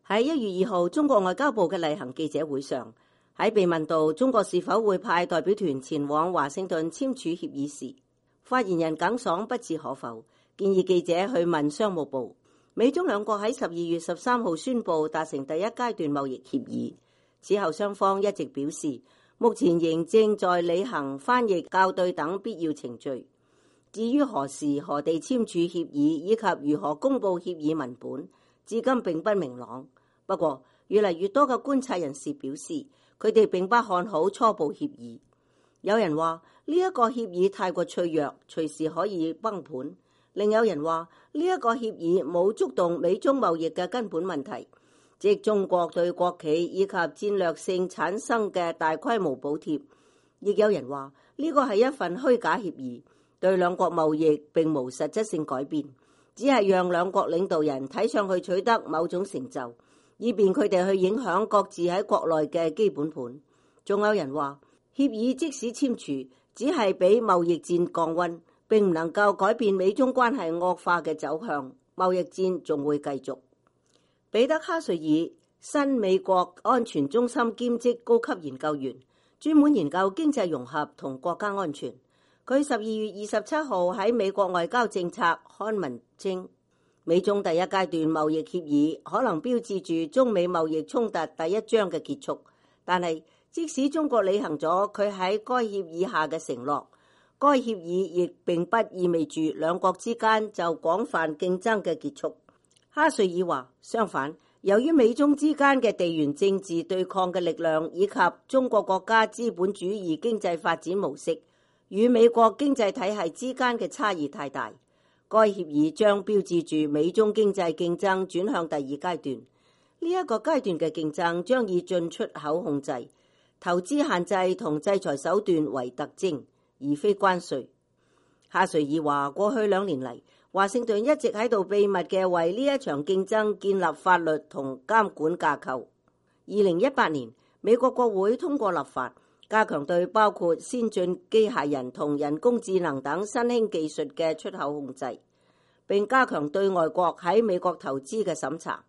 喺1月2號，中國外交部嘅例行記者會上，喺被問到中國是否會派代表團前往華盛頓簽署協議時，發言人耿爽不置可否，建議記者去問商務部。美中兩國喺12月13號宣布達成第一階段貿易協議，此後雙方一直表示目前仍正在履行翻譯、校對等必要程序。至於何時何地簽署協議以及如何公佈協議文本，至今並不明朗。不過，越嚟越多嘅觀察人士表示，佢哋並不看好初步協議。有人話呢一個協議太過脆弱，隨時可以崩盤。另有人話呢一個協議冇觸動美中貿易嘅根本問題，即中國對國企以及戰略性產生嘅大規模補貼。亦有人話呢個係一份虛假協議，對兩國貿易並無實質性改變，只係讓兩國領導人睇上去取得某種成就，以便佢哋去影響各自喺國內嘅基本盤。仲有人話協議即使簽署，只係俾貿易戰降溫，並唔能夠改變美中關係惡化嘅走向，貿易戰仲會繼續。彼得哈瑞爾，新美國安全中心兼職高級研究員，專門研究經濟融合同國家安全。佢12月27號喺美國外交政策刊文稱，美中第一階段貿易協議可能標誌住中美貿易衝突第一章嘅結束，但係即使中國履行咗佢喺該協議下嘅承諾，該協議亦並不意味住兩國之間就廣泛競爭嘅結束。哈瑞爾話，相反，由於美中之間嘅地緣政治對抗嘅力量以及中國國家資本主義經濟發展模式與美國經濟體系之間嘅差異太大，該協議將標誌住美中經濟競爭轉向第二階段。呢一個階段嘅競爭將以進出口控制、投資限制同制裁手段為特徵，而非關稅。哈瑞爾話，過去2年嚟，華盛頓一直喺度秘密嘅為呢一場競爭建立法律同監管架構。2018年，美國國會通過立法，加強對包括先進機械人同人工智能等新興技術嘅出口控制，並加強對外國喺美國投資嘅審查。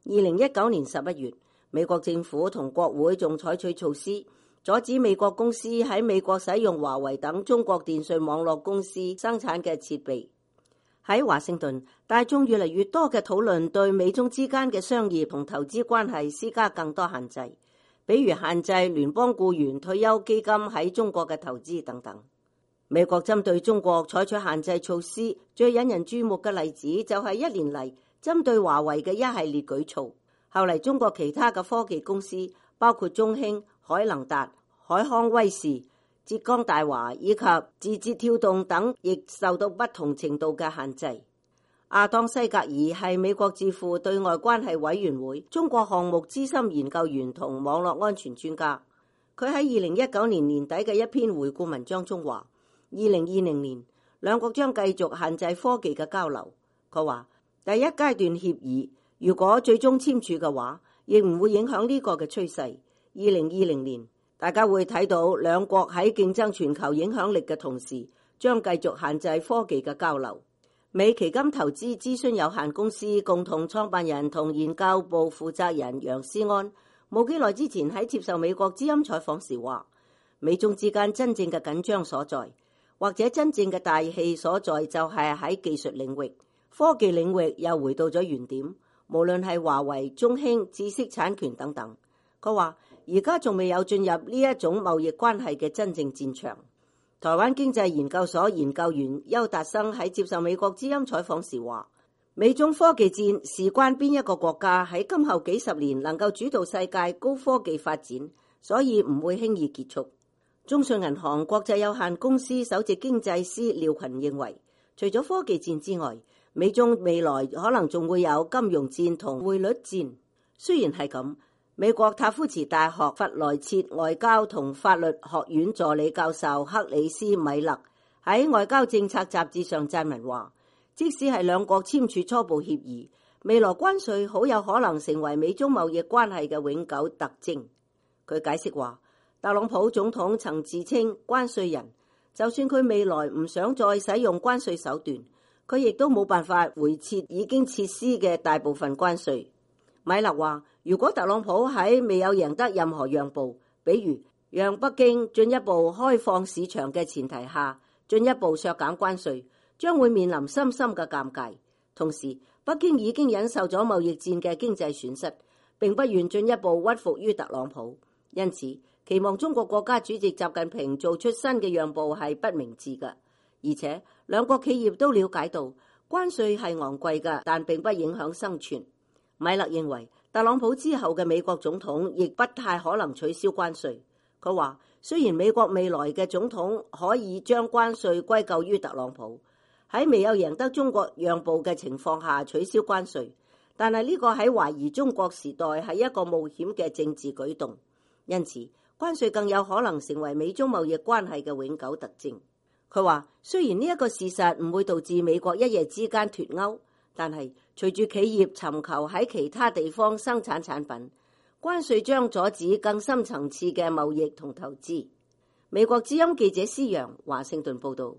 2019年11月，美國政府同國會仲採取措施，阻止美國公司喺美國使用華為等中國電信網絡公司生產嘅設備。喺華盛頓，大眾越嚟越多嘅討論對美中之間嘅商業同投資關係施加更多限制，比如限制聯邦僱員退休基金喺中國嘅投資等等。美國針對中國採取限制措施，最引人注目嘅例子就係1年嚟針對華為嘅一系列舉措。後嚟中國其他嘅科技公司，包括中興、海能達、海康威視、浙江大華以及字節跳動等，亦受到不同程度嘅限制。亞當西格爾係美國智庫對外關係委員會中國項目資深研究員同網絡安全專家。佢喺2019年年底嘅一篇回顧文章中話，2020年兩國將繼續限制科技嘅交流。佢話，第一階段協議如果最終簽署嘅話，亦唔會影響呢個嘅趨勢。2020年大家會睇到兩國喺競爭全球影響力嘅同時，將繼續限制科技嘅交流。美旗金投資諮詢有限公司共同創辦人同研究部負責人楊思安冇幾耐之前喺接受美國之音採訪時話，美中之間真正嘅緊張所在，或者真正嘅大氣所在就係喺技術領域，科技領域又回到咗原點，無論係華為、中興、知識產權等等。佢話而家仲未有進入呢一種貿易關係嘅真正戰場。台灣經濟研究所研究員邱達生喺接受美國之音採訪時話，美中科技戰事關邊一個國家喺今後幾十年能夠主導世界高科技發展，所以唔會輕易結束。中信銀行國際有限公司首席經濟師廖群認為，除咗科技戰之外，美中未來可能仲會有金融戰同匯率戰。雖然係咁，美國塔夫茨大學弗萊切外交同法律學院助理教授克里斯米勒喺外交政策雜誌上撰文話，即使係兩國簽署初步協議，未來關稅好有可能成為美中貿易關係嘅永久特徵。佢解釋話，特朗普總統曾自稱關稅人，就算佢未來唔想再使用關稅手段，佢亦都冇辦法回撤已經撤銷嘅大部分關稅。米勒話，如果特朗普喺未有贏得任何讓步，比如讓北京進一步開放市場嘅前提下，進一步削減關稅，將會面臨深深嘅尷尬。同時，北京已經忍受咗貿易戰嘅經濟損失，並不願進一步屈服於特朗普，因此期望中國國家主席習近平做出新嘅讓步係不明智嘅。而且兩國企業都了解到關稅係昂貴嘅，但並不影響生存。米勒認為特朗普之後嘅美國總統亦不太可能取消關稅。佢話，雖然美國未來嘅總統可以將關稅歸咎於特朗普，喺未有贏得中國讓步嘅情況下取消關稅，但係呢個喺懷疑中國時代係一個冒險嘅政治舉動，因此關稅更有可能成為美中貿易關係嘅永久特徵。佢話，雖然呢一個事實唔會導致美國一夜之間脫歐，但係隨住企業尋求喺其他地方生產產品，關稅將阻止更深層次嘅貿易同投資。美國之音記者施洋華盛頓報道。